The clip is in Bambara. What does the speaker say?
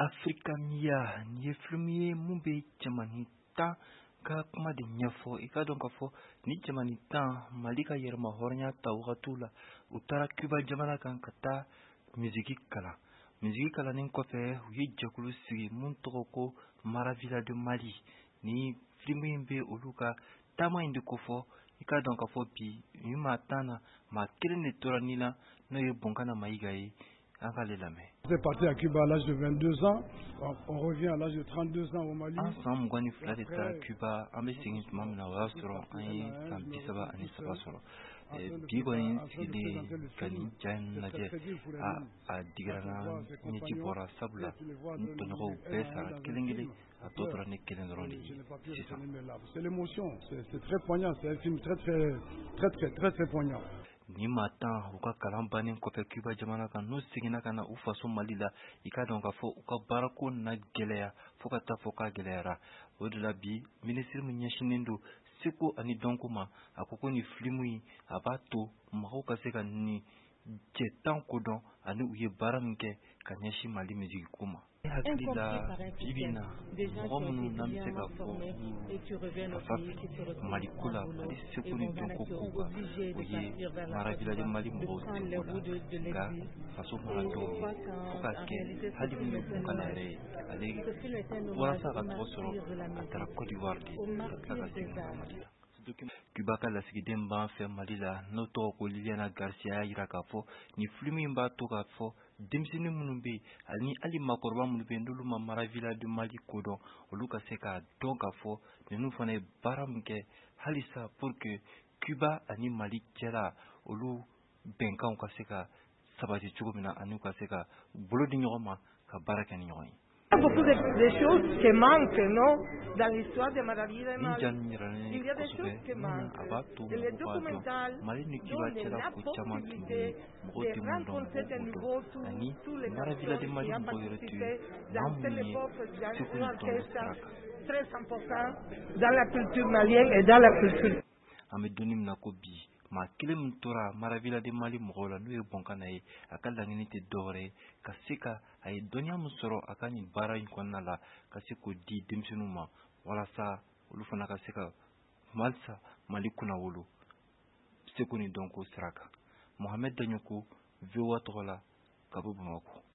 Africa Mia, nin ye film ye mun bɛ cɛmanin 10 ka kuma de ɲɛfɔ. I ka dɔn k'a fɔ ni cɛmanin 10, Mali ka yɛrɛma hɔrɔnya ta wagatiw la, u taara Cuba jamana kan ka taa misiki kalan. Misiki kalannen kɔfɛ, u ye jɛkulu sigi mun tɔgɔ ko Maravilla de Mali. Ni film in bɛ olu ka taama in de kofɔ. I ka dɔn k'a fɔ bi ni maa 10 na, maa kelen de tora nin na, n'o ye Bonkana Mayiga ye. An k'ale lamɛn. C'est parti à Cuba à l'âge de 22 ans. On revient à l'âge de 32 ans au Mali. An san 22 de taara Cuba, an bɛ segin tuma min na, o y'a sɔrɔ an ye san 33 sɔrɔ. Bi kɔni n sigilen ka nin ja in lajɛ, a digira n na, ɲɛji bɔra, sabula n tɔɲɔgɔnw bɛɛ sara kelen kelen, a tɔ tora ne kelen dɔrɔn de ye sisan. C'est l'émotion, c'est très poignant, c'est un film très très très très très très poignant. Ni maa 10, u ka kalan bannen kɔfɛ Cuba jamana kan, n'u seginna ka na u faso Mali la, i ka dɔn k'a fɔ u ka baarako na gɛlɛya fo ka taa fɔ k'a gɛlɛyara. O de la bi, minisiri min ɲɛsinnen don seko ani dɔnko ma, a ko ko nin film in, a b'a to mɔgɔw ka se ka nin cɛ 10 kodɔn ani u ye baara min kɛ ka ɲɛsin Mali misiki ko ma. Ne hakili la, bi bi in na, mɔgɔ minnu n'an bɛ se ka fɔ ka fa Mali ko la, Mali seko ni dɔnko kow kan, o ye Maravilla de Mali mɔgɔw seko la. Nka faso mana dɔw ye fo k'a kɛ hali min ye Bonkana yɛrɛ ye, ale walasa ka tɔgɔ sɔrɔ, a taara Côte d'Ivoire de ka tila ka segin ka na Mali la. Cuba ka lasigiden b'an fɛ Mali la, n'o tɔgɔ ko Liliana Garcia, y'a jira k'a fɔ nin film in b'a to k'a fɔ denmisɛnnin minnu bɛ yen ani hali maakɔrɔba minnu bɛ yen, n'olu ma Maravilla de Mali kodɔn, olu ka se k'a dɔn k'a fɔ ninnu fana ye baara min kɛ halisa pour que Cuba ani Mali cɛla, olu bɛnkanw ka se ka sabati cogo min na, ani u ka se ka bolo di ɲɔgɔn ma ka baara kɛ ni ɲɔgɔn ye. Beaucoup de choses qui manquent, non, dans l'histoire de Maravilla de Nin Mali. ja nin yira ne Il y a des kosɛbɛ choses qui mun na manquent. a b'a to Et le mɔgɔw b'a dɔn documental Mali ni Cuba donne cɛla la ko caman tun bɛ yen, possibilité mɔgɔw de tɛ mun dɔn, rencontrer mɔgɔw de b'o dɔn. nouveau Ani tous les Maravilla de personnes Mali qui ont mɔgɔw yɛrɛ tun ye participé maa dans cette minnu ye époque dans seko un ni dɔnko orchestre sira kan. très important dans la culture malienne et dans la culture An bɛ don min na ko bi, maa kelen min tora Maravilla de Mali mɔgɔw la, n'o ye Bonkana ye, a ka laɲini tɛ dɔwɛrɛ ye ka se ka a ye dɔnniya min sɔrɔ a ka nin baara in kɔnɔna la, ka se k'o di denmisɛnninw ma walasa olu fana ka se ka halisa Mali kunnawolo seko ni dɔnko sira kan. Mohamed Daɲoko, VOA tɔgɔ la, ka bɔ Bamakɔ.